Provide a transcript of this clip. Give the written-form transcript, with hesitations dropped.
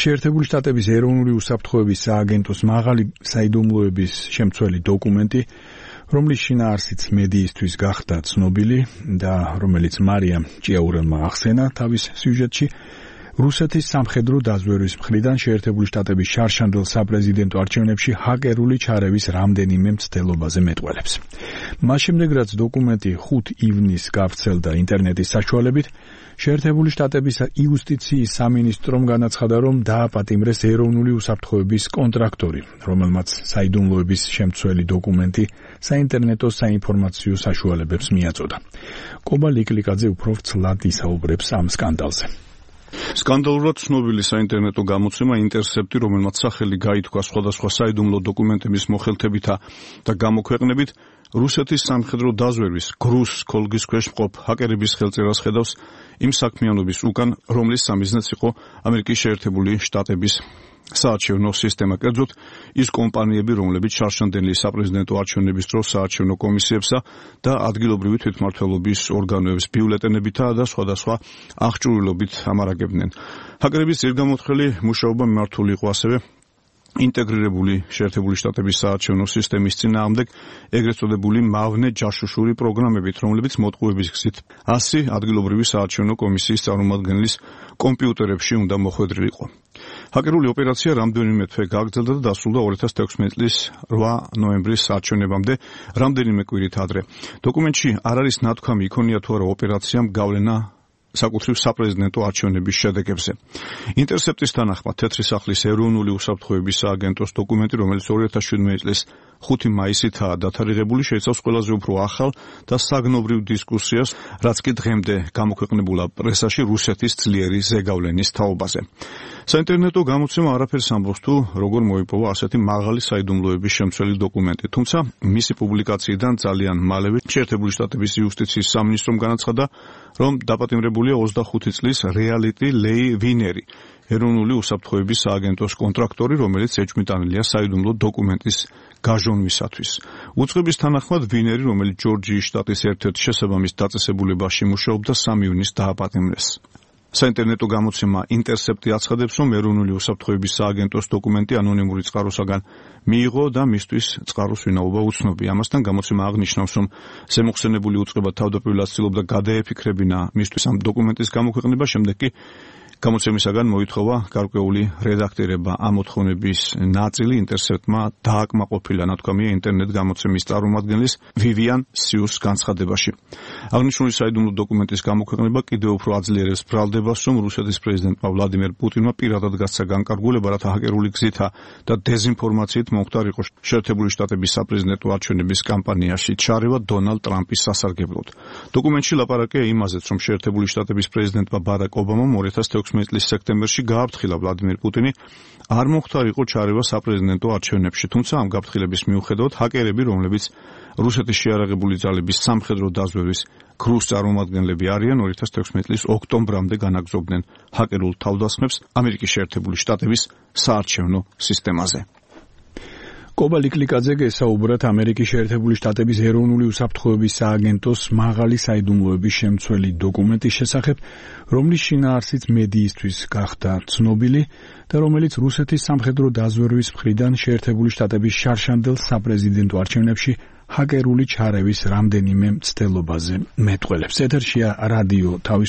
შეერთებული შტატების ეროვნული უსაფრთხოების სააგენტოს მაღალი საიდუმლოების შემცველი დოკუმენტი, რომლის შინაარსიც მედიისთვის გახდა ცნობილი და რომელიც მარიამ ჭიაურელმა ახსენა თავის სიუჟეტში, რუსეთის სამხედრო დაზვერვის მხრიდან შეერთებული შტატების შარშანდელ საპრეზიდენტო არჩევნებში ჰაკერული ჩარევის რამდენიმე მცდელობაზე მეტყველებს. მას შემდეგ, რაც დოკუმენტი 5 ივნისს გავრცელდა ინტერნეტის საშუალებით, შეერთებული შტატების იუსტიციის სამინისტრომ განაცხადა, რომ დააპატიმრეს ეროვნული უსაფრთხოების კონტრაქტორი, რომელმაც საიდუმლოების შემცველი დოკუმენტი საინტერნეტო საინფორმაციო საშუალებებს მიაწოდა. კობა ლიკლიკაძე უფრო ვრცლად ისაუბრებს ამ სკანდალზე. სკანდალურად ცნობილი საინტერნეტო გამოცემა ინტერსეპტი, რომელმაც სახელი გაითქვა სხვადასხვა საიდუმლო დოკუმენტების მოხელთებითა და გამოქვეყნებით, რუსეთის სამხედრო დაზვერვის გრუს ქოლგის ქვეშ მყოფ ჰაკერების ხელწერას ხედავს იმ საქმიანობის უკან, რომლის სამიზნეც იყო ამერიკის შეერთებული შტატების საარჩევნო სისტემა, კერძოდ ის კომპანიები, რომლებიც შარშანდელი საპრეზიდენტო არჩევნების დროს საარჩევნო კომისიებსა და ადგილობრივი თვითმმართველობის ორგანოებს ბიულეტენებითა და სხვადასხვა აღჭურვილობით ამარაგებდნენ. ჰაკერების ძირგამოთხელი მუშაობა მიმართული იყო ასევე ინტეგრირებული შეერთებული შტატების საარჩევნო სისტემის წინააღმდეგ ეგრეთ წოდებული მავნე ჯაშუშური პროგრამებით, რომლებიც მოტყუების გზით 100 ადგილობრივი საარჩევნო კომისიის წარმომადგენლის კომპიუტერებში უნდა მოხვედრილიყო. ჰაკერული ოპერაცია რამდენიმე თვე გაგრძელდა და დასრულდა 2016 წლის 8 ნოემბრის არჩევნებამდე, რამდენიმე კვირით ადრე. დოკუმენტში არ არის ნათქვამი იქონია თუ არა ოპერაციამ გავლენა საკუთრივ საპრეზიდენტო არჩევნების შედეგებზე. ინტერსეპტის თანახმად თეთრი სახლის ეროვნული უსაფრთხოების სააგენტოს დოკუმენტი, რომელიც 2017 წლის 5 მაისითაა დათარიღებული, შეიცავს ყველაზე უფრო ახალ და საგნობრივ დისკუსიას, რაც კი დღემდე გამოქვეყნებულა პრესაში რუსეთის ძლიერი ზეგავლენის თაობაზე. საინტერნეტო გამოცემა არაფერს ამბობს თუ როგორ მოიპოვა ასეთი მაღალი საიდუმლოების შემცველი დოკუმენტი, თუმცა მისი პუბლიკაციიდან ძალიან მალევე შეერთებული შტატების იუსტიციის სამინისტრომ განაცხადა, რომ დაპატიმრებულია 25 წლის რეალიტი ლეი ვინერი, ეროვნული უსაფრთხოების სააგენტოს კონტრაქტორი, რომელიც ეჭვმიტანილია საიდუმლო დოკუმენტის გაჟონვისათვის. უწყების თანახმად ვინერი, რომელიც ჯორჯიის შტატის ერთ-ერთ შესაბამის დაწესებულებაში მუშაობდა, 3 ივნისს დააპატიმრეს. საინტერნეტო გამოცემა ინტერსეპტი აცხადებს, რომ ეროვნული უსაფრთხოების სააგენტოს დოკუმენტი ანონიმური წყაროსაგან მიიღო და მისთვის წყაროს ვინაობა უცნობია. ამასთან გამოცემა აღნიშნავს, რომ ზემოხსენებული უწყება თავდაპირველად ცდილობდა გადაეფიქრებინა მისთვის ამ დოკუმენტის გამოქვეყნება, შემდეგ კი გამოცემისაგან მოითხოვა გარკვეული რედაქტირება. ამ მოთხოვნების ნაწილი ინტერსეპტმა დააკმაყოფილა, ნათქვამია ინტერნეტ გამოცემის წარმომადგენლის ვივიან სიუს განცხადებაში. აღნიშნული საიდუმლო დოკუმენტის გამოქვეყნება კიდევ უფრო აძლიერებს ბრალდებას, რომ რუსეთის პრეზიდენტმა ვლადიმერ პუტინმა პირადად გასცა განკარგულება, რათა ჰაკერული გზითა და დეზინფორმაციით მომხდარიყო შეერთებული შტატების საპრეზიდენტო არჩევნების კამპანიაში ჩარევა დონალდ ტრამპის სასარგებლოდ. დოკუმენტში ლაპარაკია იმაზეც, რომ შეერთებული შტატების პრეზიდენტმა ბარაკ ობამამ 2016 წლის სექტემბერში გააფრთხილა ვლადიმერ პუტინი არ მომხდარიყო ჩარევა საპრეზიდენტო არჩევნებში, თუმცა ამ გაფრთხილების მიუხედავად ჰაკერები, რომლებიც რუსეთის შეიარაღებული ძალების სამხედრო დაზვერვის გრუს წარმომადგენლები არიან, 2016 წლის ოქტომბრამდე განაგრძობდნენ ჰაკერულ თავდასხმებს ამერიკის შეერთებული შტატების საარჩევნო სისტემაზე. კობა ლიკლიკაძე გესაუბრათ ამერიკის შეერთებული შტატების ეროვნული უსაფრთხოების სააგენტოს მაღალი საიდუმლოების შემცველი დოკუმენტის შესახებ, რომლის შინაარსიც მედიისთვის გახდა ცნობილი და რომელიც რუსეთის სამხედრო დაზვერვის მხრიდან შეერთებული შტატების შარშანდელ საპრეზიდენტო არჩევნებში ჰაკერული ჩარევის რამდენიმე მცდელობაზე მეტყველებს. ეთერშია რადიო თავისუფლება.